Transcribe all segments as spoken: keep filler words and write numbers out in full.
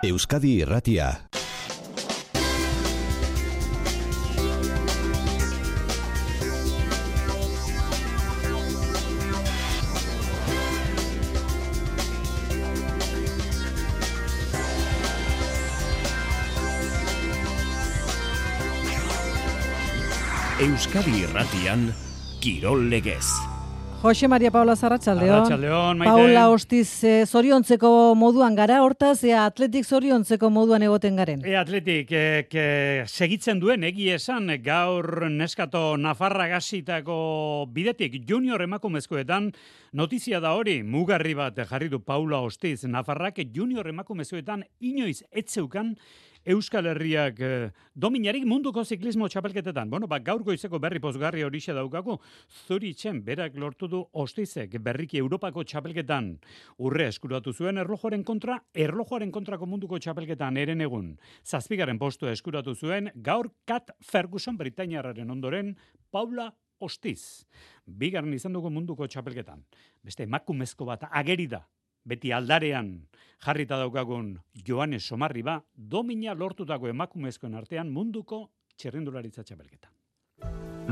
Euskadi Irratia. Euskadi Irratian, Kirol Legez. Jose Maria Paula Arratsaldeon. Arratsaldeon, Maite. Paula Ostiz, eh, zoriontzeko moduan gara, hortaz, ea atletik zoriontzeko moduan egoten garen. E atletik, e, ke, segitzen duen, egi esan, gaur neskato Nafarra gasitako bidetik junior emakumezkoetan, notizia da hori, mugarri bat jarri du Paula Ostiz, Nafarrak junior emakumezkoetan inoiz etzeukan, Euskal Herriak eh, dominarik munduko ziklismo txapelketetan. Bueno, ba, gaur goizeko berri pozgarri horixe daukagu, Zuritzen berak lortu du Ostizek berriki Europako txapelketan. Urre eskuratu zuen erlojoaren kontra, erlojoaren kontrako munduko txapelketan eren egun. Zazpigaren postu eskuratu zuen, gaur Kat Ferguson Britainiarraren ondoren, Paula Ostiz. Bigarren izan dugu munduko txapelketan. Beste emakumezko bat ageri da. Beti aldarean jarrita daukagun Joanes Somarriba, domina lortutako emakumezkoen artean munduko txirrindularitza txapelketa.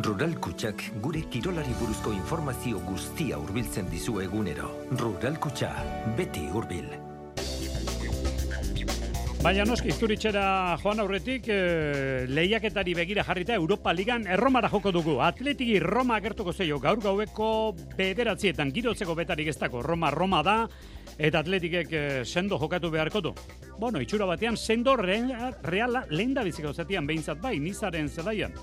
Rural Kutxak gure kirolari buruzko informazio guztia hurbiltzen dizu egunero. Rural Kutxa, beti hurbil. Baina noski, Zuritzera joan aurretik, eh, lehiaketari begira jarrita Europa Ligan erromara joko dugu. Atletiki Roma agertuko zeio, gaur gaueko bederatzietan, girotzeko betarik ez dako. Roma, Roma da, eta atletikek eh, sendo jokatu beharko du. Bueno, itxura batean, sendo reala, reala lehen da biziko zatian behintzat bai, Nizaren zelaian.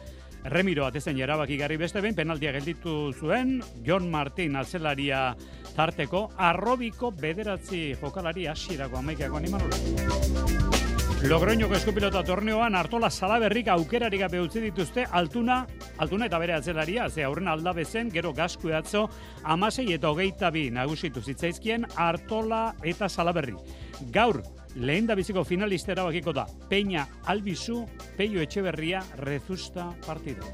Remiro atezen erabakigarri beste behin, penaltia gelditu zuen, Jon Martin atzelaria tarteko, arrobiko bederatzi jokalari hasierako amaikako animanola. Logroñoko eskupilota torneoan Artola Salaberrik aukerari gabe utzi dituzte altuna, altuna eta bere atzelaria, ze aurren aldabezen, gero gasku atzo, amasei eta hogeita bi nagusitu zitzaizkien Artola eta Salaberri. Gaur, lehen da biziko finalista erabakiko da, Peña Albizu, Peio Etxeberria, Rezusta partida.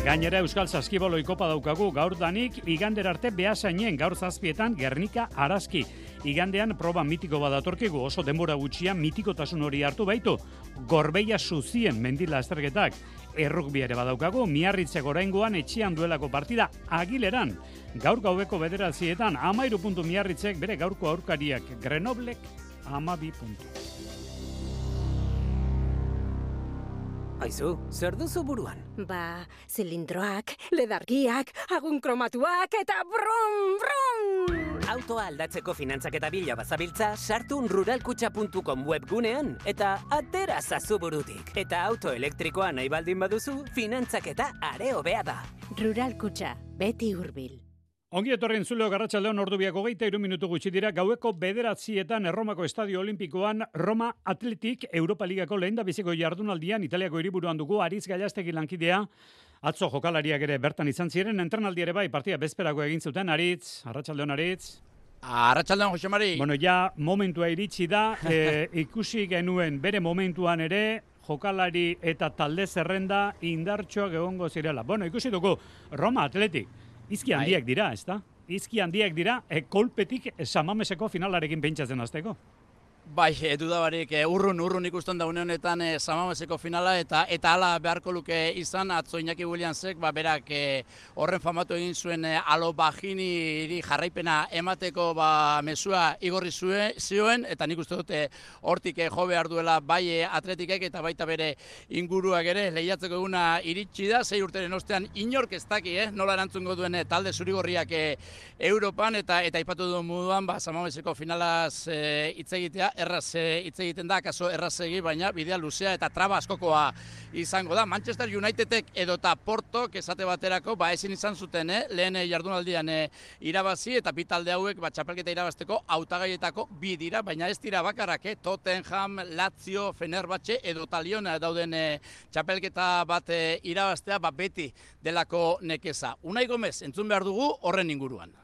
Gainera Euskal Saskiboloi kopa daukagu gaur danik, igander arte Beasainen, gaur zazpietan Gernika Araski. Igandean proba mitiko badatorkigu, oso denbora gutxian mitikotasun hori hartu baitu. Gorbeia Zuzien mendila azterketak. Errukbi ere badaukagu, Miarritzek oraingoan etxean duelako partida Agileran. Gaur gaubeko bederatzietan, amairu puntu Miarritzek bere gaurko aurkariak, Grenoblek amabi puntu. Aizu, zer duzu buruan? Ba, zilindroak, ledargiak, agun kromatuak eta brum, brum! Autoa aldatzeko finantzak eta bila bazabiltza, sartu ruralkutxa puntu com webgunean eta atera zazu burutik. Eta auto elektrikoa nahi baldin baduzu, finantzak eta are hobea da. Ruralkutxa, beti hurbil. Ongi etorri entzuleo Garratsaldeon ordubiak hogeita hiru minutu gutxi dira, gaueko bederatzietan Erromako Estadio Olimpikoan Roma Atletik Europa Ligako lehen da biziko jardunaldian Italiako hiriburuan dugu Aritz Gallastegi lankidea. Atzo jokalariak ere bertan izan ziren, entrenaldi ere bai, partida bezperako egin zuten. Aritz, Arratsaldeon Aritz. Arratsaldeon Jose Mari. Bueno, ja momentua iritsi da, e, ikusi genuen bere momentuan ere, jokalari eta talde zerrenda indartxoak egongo zirela. Bueno, ikusi dugu Roma Atletik. Izki handiak dira, ez da? Izki handiak dira, e, kolpetik Samameseko finalarekin pentsatzen azteko. Bai, dudabarik urrun, urrun ikusten da une honetan e, Samameseko finala eta eta hala beharko luke izan, atzo Iñaki Williamsek, ba, berak e, horren famatu egin zuen e, Alo Bajiniri jarraipena emateko ba, mesua igorri zuen, zioen, eta nik uste dute hortik e, jo behar duela bai e, atletikek eta baita bere inguruak ere lehiatzeko eguna iritsi da, sei urteren ostean inork ez daki, eh, nola erantzungo duen e, talde zurigorriak e, Europan eta eta aipatu duen moduan ba, Samameseko finalaz e, hitz egitea, erraz hitz egiten da, kaso errazegi, baina bidea luzea eta traba askokoa izango da. Manchester Unitedek edota Portok esate baterako, ba ezin izan zuten, eh? lehen jardunaldian eh, irabazi eta bi talde hauek ba, txapelketa irabazteko hautagaietako bi dira, baina ez dira bakarrak, eh? Tottenham, Lazio, Fenerbahce edota Lyon dauden eh, txapelketa bat eh, irabaztea ba, beti delako nekeza. Unai Gomez, entzun behar dugu horren inguruan.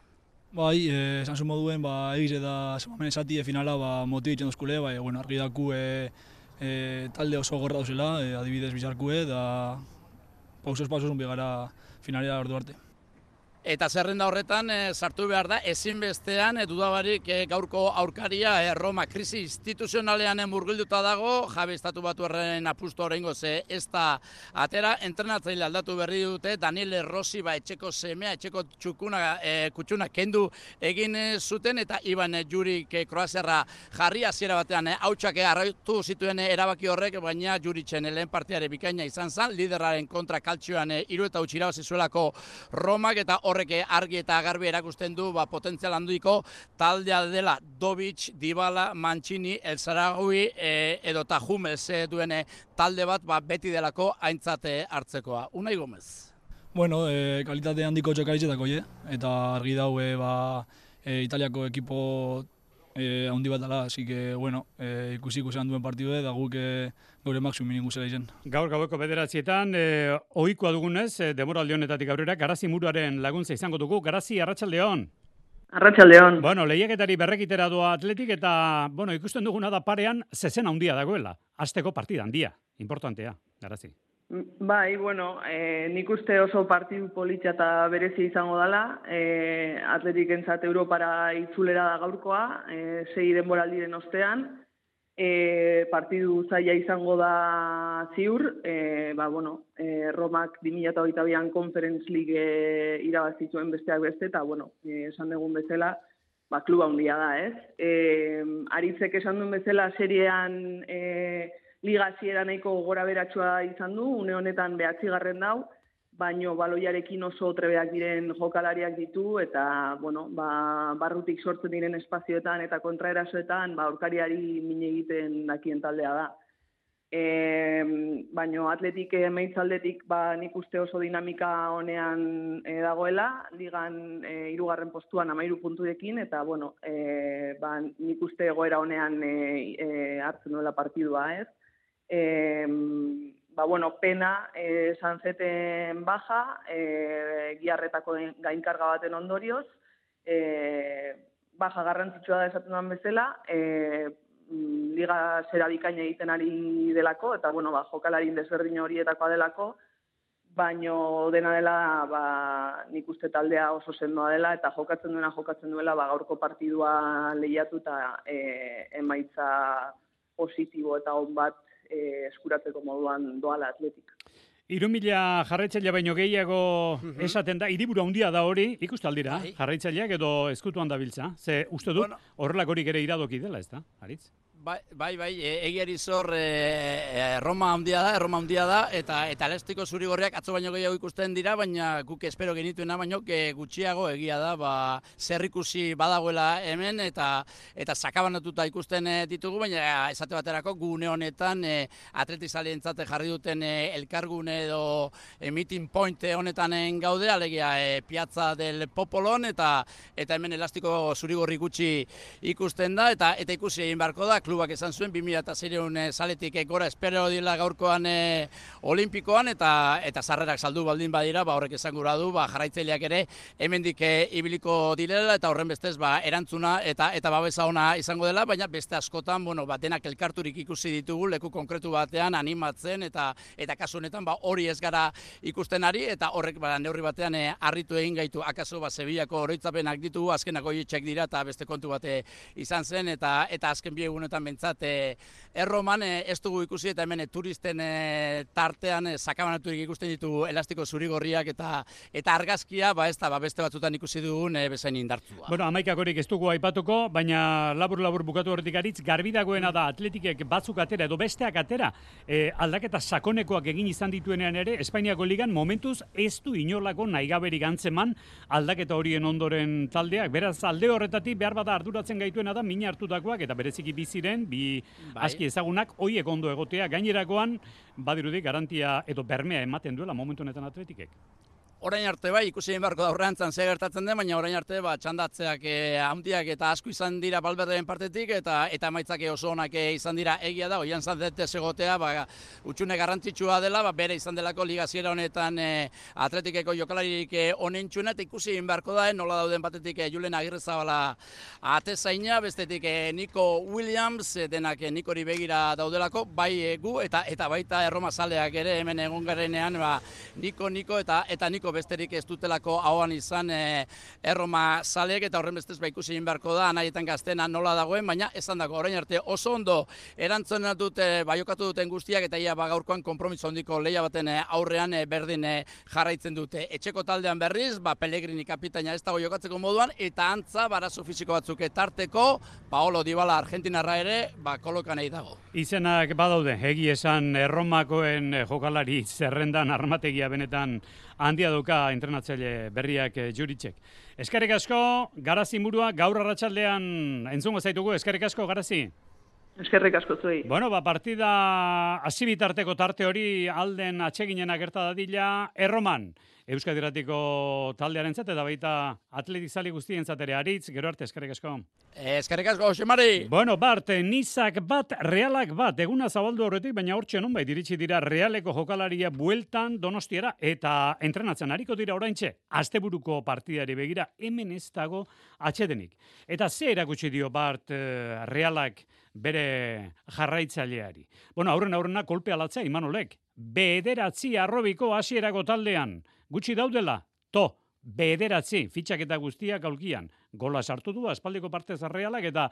Bai, eh, esan zu moduen, ba, egiz eta Samamen esatie finala ba, motibitzen duzkule, bai, bueno, argi daku e, e, talde oso gorra dauzela, e, adibidez bizarkue, da pausuz pausuz unbi gara finalera ordu arte. Eta zerrenda horretan e, sartu behar da, ezinbestean e, dudabarik e, gaurko aurkaria e, Roma krisi instituzionalean murgilduta dago, Javi Estatu Batuarren apustu horrengo ze ez da atera, entrenatzaile aldatu berri dute, Daniele Rossi ba, etxeko semea, etxeko txukuna, e, kutsuna kendu egin e, zuten, eta Iban e, Jurik e, Kroaziarra jarri hasiera batean, e, hautsak e, arraitu zituen e, erabaki horrek, baina Juritzen e, lehen partiare bikaina izan zen, liderraren kontra kaltzioan e, hiru eta huts irabazi zuelako Romak, eta horrek argi eta garbi erakusten du ba, potentzial handiko taldea dela Dobic, Dybala, Mancini, El Zaragoui e, edo eta Hummels e, duen talde bat ba, beti delako aintzate hartzekoa. Unai Gomez. Bueno, e, kalitate handiko txokalitzetako, je? Eta argi daue ba, e, Italiako ekipo e, handi bat dela, así que, bueno, e, ikusi ikusean duen partidu da guk e, gaure maksimum inguzela izen. Gaur gaueko bederatzietan, e, ohikoa dugunez, e, demoraldi honetatik aurrera, Garazi Muruaren laguntza izango dugu. Garazi, arratsaldeon. Arratsaldeon. Bueno, lehiaketari berrekitera doa Atletik eta, bueno, ikusten duguna da parean zezen handia dagoela. Hasteko partida handia, importantea, Garazi. Bai, bueno, e, nik uste oso partidu politxa eta berezi izango dela. E, Atletik entzat Europara itzulera da gaurkoa, e, sei denboraldiren ostean. E, partidu zaila izango da ziur, e, ba, bueno, e, Romak bi mila hogeita bian Conference League e, irabazituen besteak beste, eta, bueno, e, esan dugun bezala, ba, kluba handia da, ez? E, Aritzek esan duen bezala seriean e, liga hasiera nahiko gora beratsua izan du, une honetan behatzigarren dau, baino baloiarekin oso trebeak diren jokalariak ditu, eta, bueno, ba, barrutik sortzen diren espazioetan eta kontraerasoetan, ba, aurkariari min egiten dakien taldea da. E, baino Atletik emaitzaldetik, ba, nik uste oso dinamika honean e, dagoela, ligan e, hirugarren postuan amairu punturekin, eta, bueno, e, ba, nik uste egoera honean e, e, hartzen duela partidua, ez? E, Ba, bueno, pena, eh, Sanzeten baja, eh, giarretako gainkarga baten ondorioz, eh, baja garrantzitsua da esaten duan bezala, eh, liga zera bikaina egiten ari delako, eta, bueno, ba, jokalarin desberdin horietakoa delako, baino dena dela, ba, nik uste taldea oso sendoa dela, eta jokatzen duena jokatzen duela, ba, gaurko partidua lehiatu eta eh, emaitza positibo eta on bat E, eskuratzeko moduan doala Atletik. Hiru mila jarraitzailea baino gehiago uh-huh. esaten da, hiriburu handia da hori, ikustu aldira, bai. Jarraitzaileak edo ezkutuan dabiltza. Ze uste dut, bueno, horrelakorik ere iradoki dela, ez da, Aritz? Bai, bai, bai, egiari zor e, Roma handia da, Roma handia da, eta eta elastiko zuri-gorriak atzo baino gehiago ikusten dira, baina guk espero genituena baino gutxiago egia da, ba, zer ikusi badagoela hemen, eta eta sakabanatuta ikusten ditugu, baina esate baterako gune honetan e, atletizalientzat jarri duten e, elkargune edo e, meeting point honetan gaude, alegia e, Piazza del Popolon, eta eta hemen elastiko zuri-gorri gutxi ikusten da, eta eta ikusi egin beharko da, klubak esan zuen, bi mila seiehun saletik gora espero dila gaurkoan e, olimpikoan, eta eta sarrerak saldu baldin badira, ba, horrek esan gura du, ba, jarraitzaileak ere hemendik e, ibiliko direla, eta horren bestez ba, erantzuna eta eta babesa ona izango dela, baina beste askotan, bueno, ba, denak elkarturik ikusi ditugu, leku konkretu batean animatzen, eta eta kasu honetan ba, hori ez gara ikusten ari, eta horrek ba, neurri batean e, harritu egin gaitu, akaso ba, Sevillako oroitzapenak ditugu, azkenako hitzek dira, eta beste kontu bate izan zen, eta eta azken bi egunetan bentsat, e, erroman e, ez dugu ikusi, eta hemen e, turisten e, tartean e, sakabanaturik ikusten ditugu elastiko zuri-gorriak eta eta argazkia, ba ez da, ba, beste batzutan ikusi dugun e, bezain indartsua. Bueno, hamaikakorik ez dugu aipatuko, baina labur-labur bukatu horretik Aritz, garbi dagoena da Atletikek batzuk atera edo besteak atera, e, aldaketa sakonekoak egin izan dituenean ere, Espainiako ligan momentuz ez du inolako nahigaberik antzeman aldaketa horien ondoren taldeak, beraz alde horretatik behar bada arduratzen gaituena da mina hartutakoak eta bereziki biziren, bi bai. Aski ezagunak, hoiek ondo egotea, gainerakoan badirudik garantia edo bermea ematen duela momentu honetan Atletikek. Orain arte bai, ikusi egin beharko da horreantzan ze gertatzen den, baina orain arte ba, txandatzeak e, handiak eta asko izan dira Valverderen partetik, eta eta emaitzak oso onak izan dira egia da, oian zandete segotea, ba, utxune garrantzitsua dela, ba, bere izan delako ligaziera honetan e, Atletikeko jokalaririk e, onentxuna, eta ikusi egin beharko da, e, nola dauden batetik e, Julen Agirrezabala atezaina, bestetik e, Nico Williams, e, denak e, Nikori begira daudelako, bai e, gu, eta eta baita Erroma zaleak ere hemen egon garenean, ba, Nico, Nico eta eta Nico nahiko besterik ez dutelako ahoan izan e, Erroma zaleek, eta horren bestez ba ikusi egin beharko da, nahietan gaztena nola dagoen, baina esan dago, orain arte oso ondo erantzun dute, baiokatu duten guztiak, eta ia ba gaurkoan konpromiso handiko lehia baten aurrean e, berdin e, jarraitzen dute. Etxeko taldean berriz, ba Pellegrini kapitaina ez dago jokatzeko moduan, eta antza barazo fisiko batzuk tarteko, Paolo Dybala Argentinarra ere, ba kolokan nahi dago. Izenak badaude, egi esan Erromakoen jokalari zerrendan armategia benetan handia duka entrenatzaile berriak Juritzek. Eskerrik asko, Garazi murua, gaur arratsaldean entzungo zaitugu, eskerrik asko, Garazi. Eskerrik asko zuei. Bueno, ba, partida hasi bitarteko tarte hori alden atseginena gerta dadila Erroman. Euskadi Irratiko taldearentzat eta baita atletizali guztientzat ere aritz, gero arte, eskerrik asko. Eskerrik asko, Xemari. Bueno, Bart, Nizak bat, Realak bat, eguna zabaldu horretik, baina hortxe nonbait iritsi dira Realeko jokalaria bueltan Donostiara eta entrenatzen hariko dira oraintxe, asteburuko partidari begira, hemen ez dago atsedenik. Eta ze erakutsi dio Bart Realak bere jarraitzaileari. Bueno, aurren aurrena kolpe alatza Imanolek. Bederatzi arrobiko hasierako taldean. Gutxi daudela, to, bederatzi, fitxaketa guztiak aulkian. Gola sartu du, aspaldiko partez Realak eta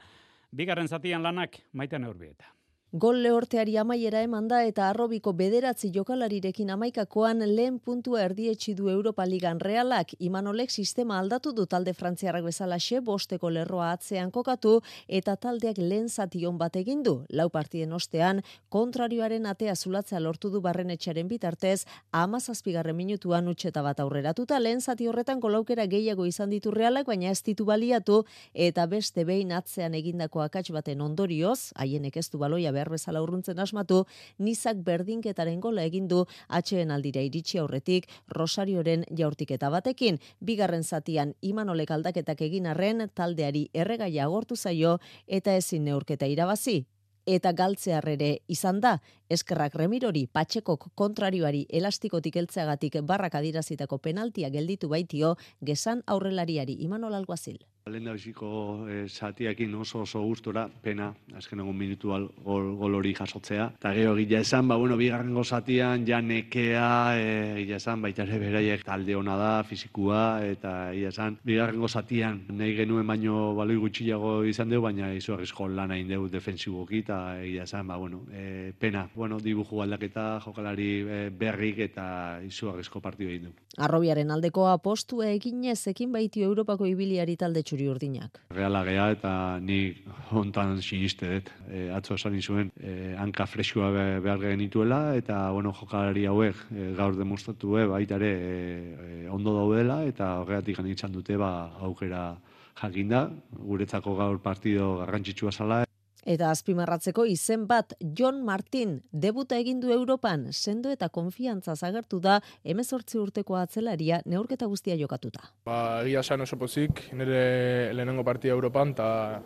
bigarren zatian lanak Maite Neurbieta. Gol lehorteari amaiera eman da eta arrobiko bederatzi jokalarirekin amaikakoan lehen puntua erdietsi du Europa Ligan Realak. Imanolek sistema aldatu du talde frantziarrak bezalaxe, bosteko lerroa atzean kokatu eta taldeak lehen zation bat egin du. Lau partiden ostean, kontrarioaren atea zulatzea lortu du Barrenetxearen bitartez, hamazazpigarren minutuan utxeta bat aurreratuta. Lehen zati horretan golaukera gehiago izan ditu Realak, baina ez ditu baliatu eta beste behin atzean egindako akats baten ondorioz, haienek ez du baloia behar bezala urruntzen asmatu, Nizak berdinketaren gola egin du atxeen aldira iritsi aurretik Rosarioren jaurtiketa batekin. Bigarren zatian Imanolek aldaketak egin arren taldeari erregaia agortu zaio eta ezin neurketa irabazi. Eta galtzearrere izan da, eskerrak Remirori Patxekok kontrarioari elastikotik heltzeagatik barrak adirazitako penaltia gelditu baitio gezan aurrelariari Imanol Alguazil. Lehen da biziko e, zatiakin oso oso gustora, pena, azken egun minutu gol, gol hori jasotzea. Eta gero gila esan, ba, bueno, bigarrengo zatian, ja nekea, e, gila esan, baita ere beraiek talde hona da, fizikua, eta gila esan, bigarrengo zatian, nahi genuen baino baloi gutxiago izan dugu, baina izugarrizko lan hain dugu defensiboki, eta gila esan, ba, bueno, e, pena, bueno, dibuju aldaketa, jokalari e, berrik, eta izugarrizko partidu egin dugu. Arrobiaren aldeko apostua eginez ekin baitio Europako ibiliari talde txuri urdinak. Reala gea eta nik hontan siniste dut. E, atzo esan izuen e, hanka freskua behar genituela eta bueno, jokalari hauek e, gaur demostratu e, baita ere e, ondo daudela eta horregatik ganitzan dute ba, aukera jakinda. Guretzako gaur partido garrantzitsua zala. Eta azpimarratzeko izen bat, Jon Martin, debuta egin du Europan, sendo eta konfiantza agertu da hemezortzi urteko atzelaria neurketa guztia jokatuta. Ba, egia esan oso pozik, nire lehenengo partida Europan, eta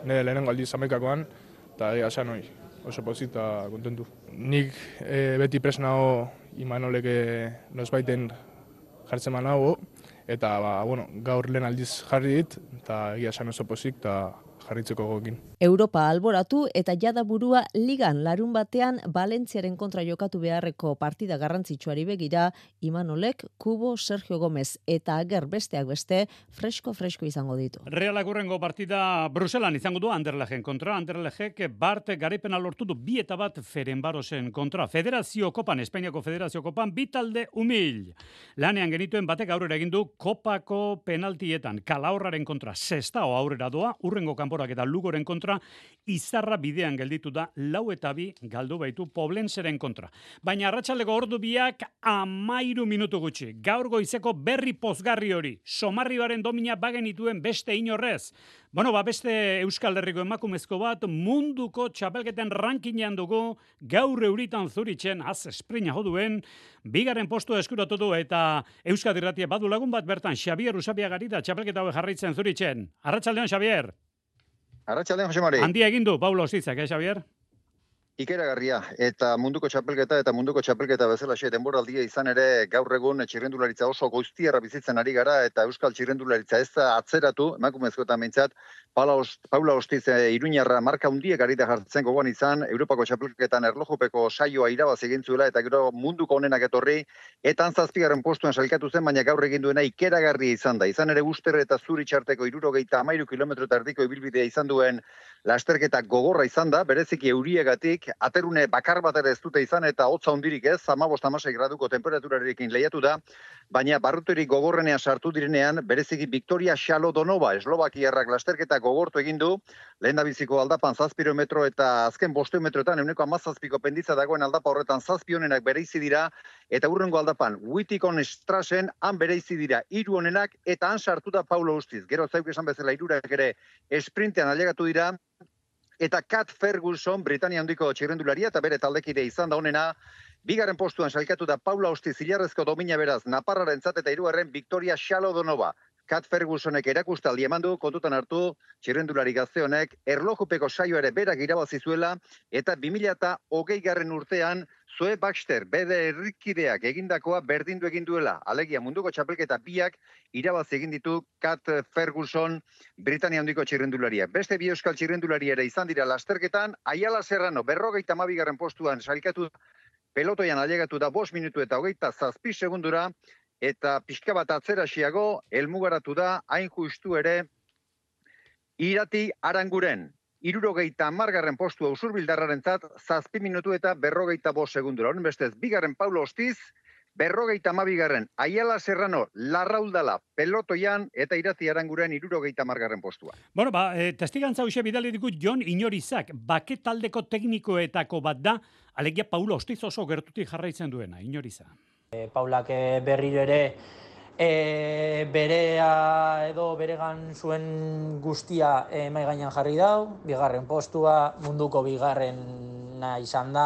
nire lehenengo aldiz Amerikakoan, eta egia esan hori, oso pozik eta kontentu. Nik e, beti presnago Imanolek nosbaiten jartzen manago, eta ba, bueno, gaur lehen aldiz jarri dit, eta egia esan oso pozik eta jarritzeko gokin. Europa alboratu eta jada burua ligan larun batean Valentziaren kontra jokatu beharreko partida garrantzitsuari begira, Imanolek, Kubo, Sergio Gomez eta Ager besteak beste fresko-fresko izango ditu. Realak hurrengo partida Bruselan izango du Anderlechten kontra. Anderlechtek Bart garaipena lortu du bi eta bat Ferenbarosen kontra. Federazio Kopan, Espainiako Federazio Kopan, bi talde umil. Lanean genituen batek aurrera egin du Kopako penaltietan. Kalahorraren kontra Sestao aurrera doa, hurrengo kanporak eta Lugoren kontra, Izarra bidean gelditu da, lau eta bi galdu baitu Poblenseren kontra. Baina arratsaldeko ordu biak amairu minutu gutxi. Gaur goizeko berri pozgarri hori. Somarribaren domina bagenituen beste inorrez. Bueno, ba, beste Euskal Herriko emakumezko bat munduko txapelketen rankinean dugu, gaur euritan Zuritzen, az esprina joduen, bigarren postua eskuratu du eta Euskadi Irratia badu lagun bat bertan, Xabier Usabiagari da txapelketa hau jarraitzen Zuritzen. Arratsaldeon, Xabier. Arratsaldeon, Jose Mari. Handia egin du, Paulo Ostitzak, eh, Xabier? Ikeragarria, eta munduko txapelketa eta munduko txapelketa bezalaxe denboraldia izan ere gaur egun txirrendularitza oso goiztiarra bizitzen ari gara eta euskal txirrendularitza ez da atzeratu, emakumezkoetan behintzat, Paula Ostiz Iruñarra marka hundiek ari da jartzen gogoan izan, Europako txapelketan erlojupeko saioa irabazi egin zuela eta gero munduko onenak etorri, eta zazpigarren postuan sailkatu zen, baina gaur egin duena ikeragarria izan da. Izan ere Uster eta Zuri txarteko hirurogeita hamairu kilometro eta erdiko ibilbidea izan duen lasterketa gogorra izan da, bereziki euriegatik, aterune bakar bat ere ez dute izan eta hotza hundirik ez, hamabost hamasei graduko temperaturarekin lehiatu da, baina barruterik gogorrenean sartu direnean, bereziki Victoria Shalodonova, Eslovakiarrak lasterketa gogortu egin du, lehendabiziko aldapan zazpiro metro eta azken bosteun metroetan euneko hamazazpiko penditza dagoen aldapa horretan zazpi honenak bereizi dira, eta urrengo aldapan Witikon Strassen han bereizi dira hiru honenak eta han sartu da Paulo Ostiz. Gero zauk esan bezala hirurak ere esprintean ailegatu dira, eta Kat Ferguson, Britania handiko txirrendularia eta bere taldekide izan da honena, bigarren postuan sailkatu da Paula Ostiz ilarrezko domina beraz Naparrarentzat eta hirugarren Victoria Shalodonova. Kat Fergusonek erakustaldi eman du, kontutan hartu, txirrendulari gazte honek, erlojupeko saio ere berak irabazi zuela, eta bi mila hogei garren urtean, Zoe Baxter, bere herrikideak egindakoa berdindu egin duela, alegia munduko txapelketa biak irabazi egin ditu Kat Ferguson, Britania handiko txirrendularia. Beste bi euskal txirrendularia ere izan dira lasterketan, Aiala Serrano, berrogeita hamabigarren postuan sailkatu pelotoian ailegatu da bost minutu eta hogeita zazpi segundura, eta pixka bat atzerasiago, helmugaratu da, hain justu ere, Irati Aranguren. Hirurogeita hamargarren postua usurbildarrarentzat, zazpi minutu eta berrogeita bost segundura. Honen bestez, bigarren Paulo Ostiz, berrogeita hamabigarren Aiala Serrano, Larraudala, pelotoian, eta Irati Aranguren hirurogeita hamargarren postua. Bueno, ba, e, testigantza hoxe bidali diku Jon Inorizak, baketaldeko teknikoetako bat da, alegia Paulo Ostiz oso gertutik jarraitzen duena, Inoriza. E, Paulak e, berriro ere e, berea edo beregan zuen guztia e, mai gainean jarri dau, bigarren postua, munduko bigarrena izan da,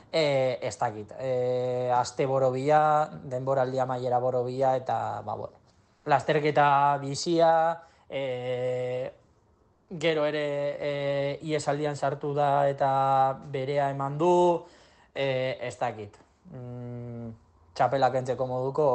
e, ez dakit. E, aste borobila, denboraldi amaiera borobila, eta, ba, bueno, lasterketa bizia, e, gero ere e, iesaldian sartu da eta berea eman du, e, ez dakit. Mm, txapelak entzeko moduko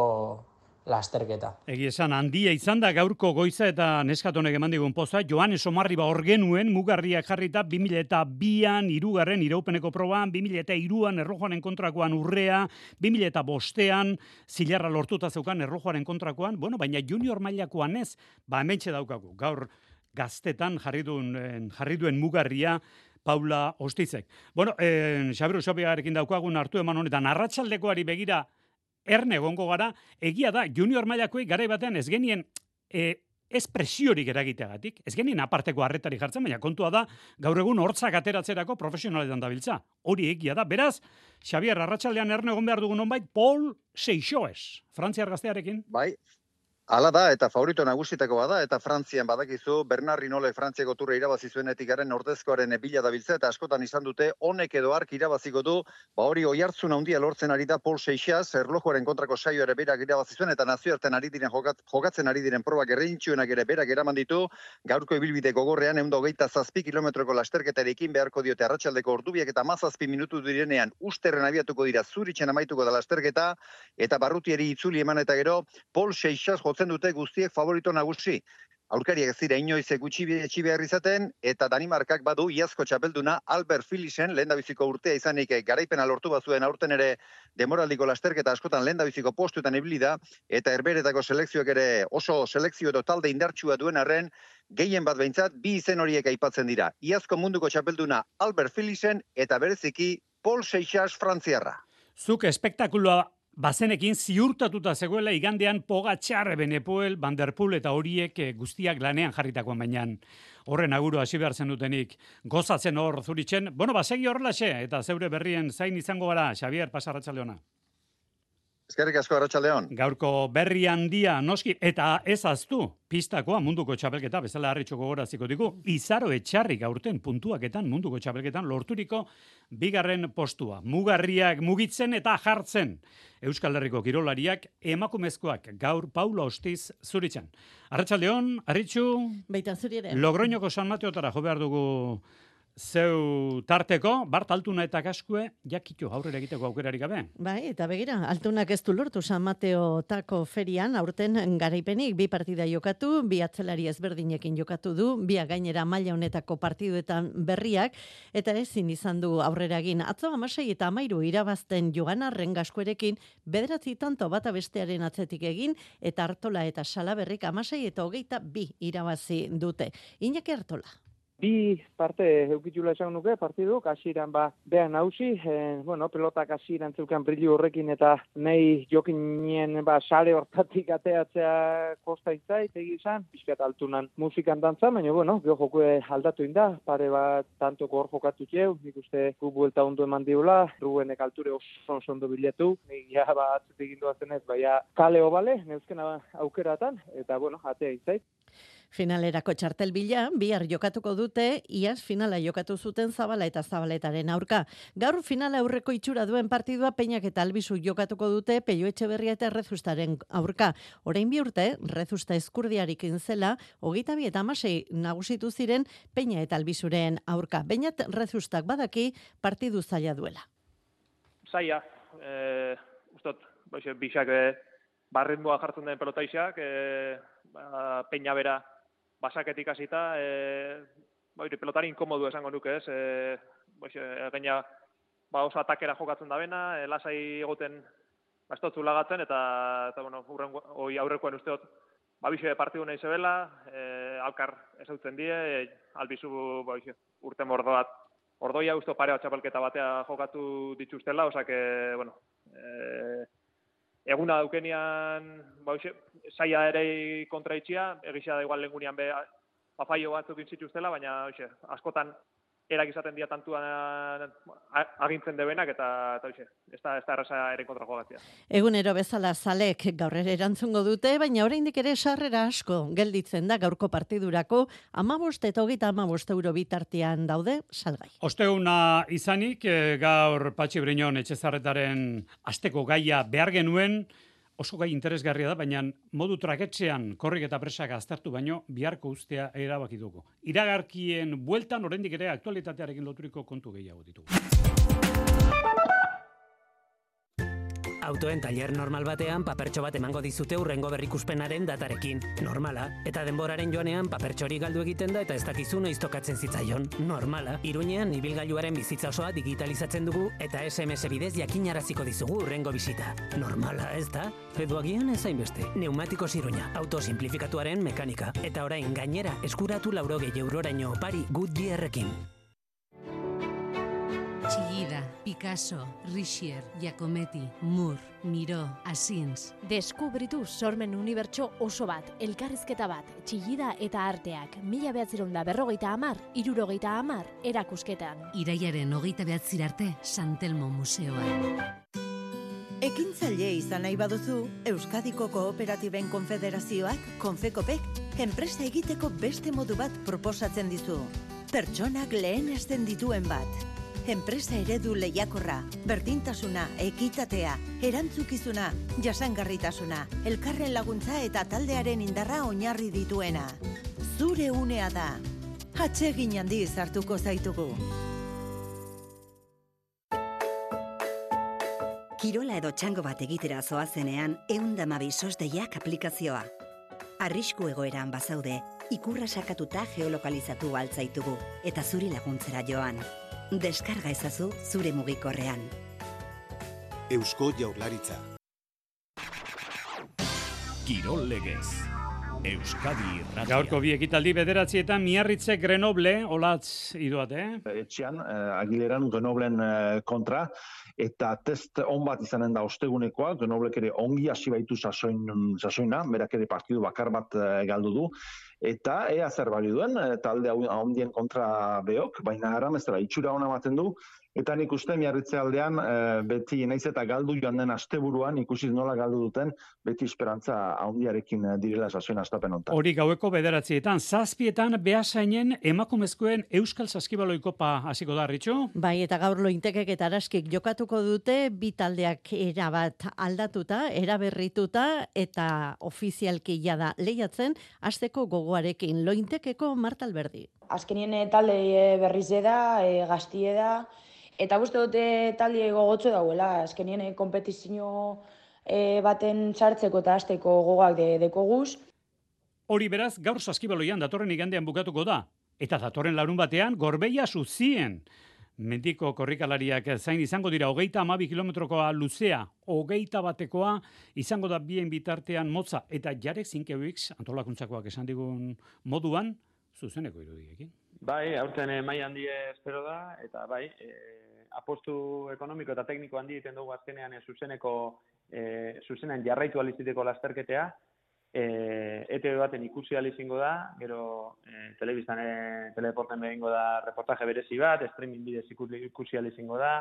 lasterketa. Egi esan, handia izan da gaurko goiza eta neskatonek eman digun poza, Joanes Omarriba hor genuen, mugarriak jarrita, bi mila eta bian, irugarren iraupeneko proban, bi mila eta iruan errojoaren kontrakoan urrea, bi mila eta bostean, zilarra lortuta zeukan errojoaren kontrakoan, bueno, baina junior mailakoan ez, ba hementxe daukagu, gaur gaztetan jarri duen, jarri duen mugarria, Paula Ostizek. Bueno, eh, Xabiru Sopiagarekin daukagun hartu eman honetan, arratsaldekoari begira, erne gongo gara, egia da, junior mailakoei garai batean ez genien e, ez presiorik eragiteagatik, ez genien aparteko harretari jartzen, baina kontua da, gaur egun hortzak ateratzerako profesionaletan dabiltza. Hori egia da. Beraz, Xabier, arratsaldean erne egon behar dugun honbait, Paul Seixoes, frantziar gaztearekin. Bai. Hala da, eta favorito nagusitakoa da, eta Frantzian badakizu, Bernard Hinault Frantziako turra irabazi zuenetik garen ordezkoaren bila dabiltza, eta askotan izan dute, honek edo ark irabaziko du, ba hori oihartzun handia lortzen ari da Paul Seixas, erlojuaren kontrako saio ere berak irabazi zuen, eta nazioartean ari diren jokat, jokatzen ari diren probak erreintxuenak ere berak eraman ditu, gaurko ibilbide gogorrean, ehun eta hogeita zazpi kilometroko lasterketarekin beharko diote arratsaldeko ordubiak eta hamazazpi minutu direnean usterren abiatuko dira, Zuritzen amaituko da lasterketa, eta barrutieri itzuli eman eta gero, Paul Seixas dute guztiek favorito nagusi. Aurkariak ez dira inoiz gutxi etxi behar izaten, eta Danimarkak badu iazko txapelduna Albert Philipsen, lehendabiziko urtea izanik garaipena lortu bazuen aurten ere demoraldiko lasterketa askotan lehendabiziko postuetan ibili da, eta herberetako selekzioak ere oso selekzio edo talde indartsua duen arren, gehien bat behintzat, bi izen horiek aipatzen dira. Iazko munduko txapelduna Albert Philipsen, eta bereziki Paul Seixas frantziarra. Zuk espektakuloa bazenekin ziurtatuta zegoela igandean Pogačar, Benepoel, Van der Poel eta horiek guztiak lanean jarritakoan bainan. Horren aguru hasi behar zen dutenik. Gozatzen hor Zuritzen. Bueno, basegi horrelaxe eta zeure berrien zain izango gara, Xabier, pasa arratsaldeona. Eskerrik asko arratsaldeon. Gaurko berri handia noski eta ez aztu pistakoa munduko txapelketa bezala harritxoko goraziko digu. Izaro Etxarri gaurten puntuaketan munduko txapelketan lorturiko bigarren postua. Mugarriak mugitzen eta jartzen. Euskal Herriko kirolariak emakumezkoak gaur Paula Ostiz Zuritzen. Arratsaldeon, Arritxu. Baita zuri ere. Logroñoko San Mateotara jo behar dugu zeu tarteko, Bart Altuna eta Gaskue, jakitxo aurrera egiteko aukerarik gabe. Bai, eta begira, Altunak ez du lortu San Mateo tako ferian, aurten garaipenik, bi partida jokatu, bi atzelari ezberdinekin jokatu du, bi gainera maila honetako partiduetan berriak, eta ezin izan du aurrera egin. Atzo amasei eta amairu irabazten Joganarren Gaskuerekin, bederatzi tanto bata bestearen atzetik egin, eta Artola eta Salaberrik amasei eta hogeita bi irabazi dute. Iñaki Artola. Bi parte eukitxula esan nuke, partiduk, hasieran ba, behan hausi, eh, bueno, pelotak hasieran zeukan brillu horrekin eta nahi jokinien ba, sare hortatik ateatzea kosta itzait, egizan, bizkat Altunan musikan dantza, baina, bueno, geho jokue aldatu inda, pare bat tantoko hor jokatu txeu, nik uste gu buelta ondo eman diula, Rubenek alture oso ondo biletu, nik ja bat atzetik zenez, baina kaleo bale, neuzkena aukeratan, eta, bueno, atea itzait. Finalerako txartel bila, bihar jokatuko dute, iaz finala jokatu zuten Zabala eta Zabaletaren aurka. Gaur finala aurreko itxura duen partidua Peinak eta Albizu jokatuko dute Peio Etxeberria eta Errezustaren aurka. Orain bi urte, Errezusta eskurdiarik inzela, hogeita bi eta hamasei nagusitu ziren Peina eta Albizuren aurka. Beinat Errezustak badaki partidu zaila duela. Zaila, eh, ustot, bixak eh, barritmoa jartzen den pelotaixak, eh, ba, Peina bera basaketik hasita, eh, ba, pelotari inkomodu esango nuke, ez? Eh, pues, eh, gaina ba, oso atakera jokatzen da bena, eh, lasai egoten bastotzu lagatzen, eta, eta bueno, urrengo, oi aurrekoen usteot, ba, bixe partidu nahi zebela, eh, alkar ezautzen die, eh, Albizu ba, urte mordoat, ordoia usto pare bat txapelketa batea jokatu dituztela, osake, bueno, eh, eguna daukenian, ba, saia ere kontraitxia, egizia da igual lengunean be, papaio batzuk intzituztela, baina oixe, askotan erak izaten dia tantuan agintzen debenak, eta, eta oixe, ez da, ez da erraza ere kontra jogatzea. Egunero bezala zalek gaur ere erantzungo dute, baina oraindik ere sarrera asko gelditzen da gaurko partidurako, amabost eta hogeita amabost euro bitartean daude salgai. Osteuna izanik, gaur Patxi Briñon Etxezarretaren asteko gaia behar genuen, oso gai interesgarria da, baina modu traketxean korrik eta presak aztertu baino biharko ustea erabaki dugu. Iragarkien bueltan oraindik ere aktualitatearekin loturiko kontu gehiago ditugu. Autoen tailer normal batean papertxo bat emango dizute hurrengo berrikuspenaren datarekin. Normala. Eta denboraren joanean papertxori galdu egiten da eta ez dakizu noiz tokatzen zitzaion. Normala. Iruñean ibilgailuaren bizitza osoa digitalizatzen dugu eta S M S bidez jakinaraziko dizugu hurrengo bisita. Normala, ez da? Edo agian ez hainbeste. Neumatikos Iruña. Auto simplifikatuaren mekanika. Eta orain gainera eskuratu laurogei euroraino opari Goodyearrekin. Chillida, Picasso, Richier, Giacometti, Moore, Miró, Asins. Deskubritu sormen unibertso oso bat, elkarrizketa bat, Chillida eta arteak, mila behatzeron da berrogeita hamar, irurogeita hamar, erakusketan. Iraiaren hogeita behatzir arte, Santelmo Museoan. Ekintzaile izan nahi baduzu, Euskadiko Kooperatiben Konfederazioak, Konfekopek, enpresa egiteko beste modu bat proposatzen dizu. Pertsonak lehenesten dituen bat. Enpresa eredu lehiakorra, berdintasuna, ekitatea, erantzukizuna, jasangarritasuna, elkarren laguntza eta taldearen indarra oinarri dituena. Zure unea da. Atsegin handiz hartuko zaitugu. Kirola edo txango bat egitera zoazenean, eundamabi sosdeiak aplikazioa. Arrisku egoeran bazaude, ikurra sakatuta geolokalizatu altzaitugu, eta zuri laguntzera joan. Deskarga ezazu zure mugikorrean. Eusko Jaurlaritza. Kirol legez. Euskadi Irratia. Gaurko bi ekitaldi bederatzietan Miarritze Grenoble, olatz iduat, eh? Etxean, eh, Agileran Grenoblen eh, kontra, eta test on bat izanen da ostegunekoa, Grenoblek ere ongi hasi baitu sasoin, sasoina, berak ere partidu bakar bat eh, galdu du, eta ea zer bali duen, talde handien kontra behok, baina aramezera itxura ona ematen du, eta nik uste Miarritze aldean beti naiz eta galdu joan den asteburuan ikusi nola galdu duten, beti esperantza handiarekin direla sasoin astapen hontan. Hori gaueko bederatzietan, zazpietan behasainen emakumezkoen Euskal Saskibaloi Kopa hasiko da, Ritxu? Bai, eta gaur Lointekek eta Araskik jokatuko dute, bi taldeak erabat aldatuta, eraberrituta, eta ofizialki jada lehiatzen, hasteko gogo gogoarekin. Lointekeko Marta Alberdi. Azkenien talde berriz da, e, gaztie da, eta uste dute talde gogotzu dauela. Azkenien kompetizio e, baten sartzeko eta hasteko gogoak de, dekoguz. Hori beraz, gaur Saskibaloian datorren igandean bukatuko da. Eta datorren larun batean, Gorbeia Zuzien. Mendiko korrikalariak zain izango dira hogeita hamabi kilometrokoa luzea, hogeita batekoa izango da bien bitartean motza, eta Jarek Zinkewicz antolakuntzakoak esan digun moduan, zuzeneko irudiekin. Bai, aurten eh, mai handi espero da, eta bai, eh, apostu ekonomiko eta tekniko handi egiten dugu azkenean eh, zuzeneko, eh, zuzenean jarraitu aliziteko lasterketea, E, E T V baten ikusi alizingo da, gero e, telebiztan, e, teleporten behingo da reportaje berezi bat, streaming bidez ikusi alizingo da,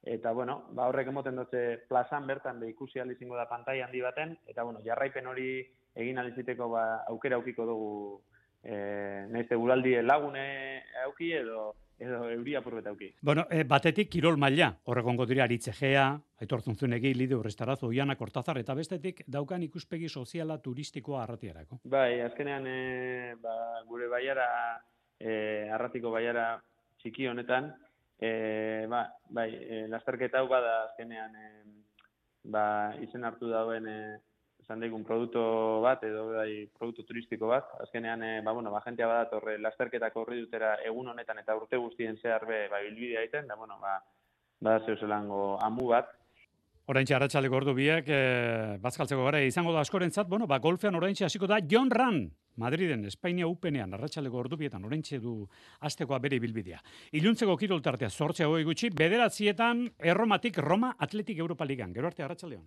eta bueno, ba horrek emoten dutze plazan bertan be ikusi alizingo da pantai handi baten, eta bueno, jarraipen hori egin aliziteko ba, aukera aukiko dugu e, nahiz eguraldi lagune auki edo edo euria purbet auki. Bueno, e, batetik kirol maila, horregongo dira Aritzegea, Aitor Zunzunegi, Lidio Urrestarazo, Oiana Kortazar, eta bestetik daukan ikuspegi soziala turistikoa arratiarako. Bai, azkenean e, ba, gure baiara, e, arratiko baiara txiki honetan, e, ba, bai, e, lasterketa hau bada azkenean e, ba, izen hartu dauen e, esan daigun produktu bat, edo bai, produktu turistiko bat, azkenean, e, ba, bueno, ba, jentea badatorre lasterketako horri dutera egun honetan eta urte guztien zehar be, ba, bilbidea egiten, da, bueno, ba, ba, zeuzelango amu bat. Oraintxe arratsaldeko ordu biak, e, bazkaltzeko gara izango da askorentzat, bueno, ba, golfean oraintxe hasiko da Jon Ran, Madriden, Espainia Upenean, arratsaldeko ordu bietan, oraintxe du astekoa bere bilbidea. Iluntzeko kirol tartea, zortze hogei gutxi, bederatzietan, Erromatik Roma Atletik Europa Ligan. Gero arte arratsaldeon.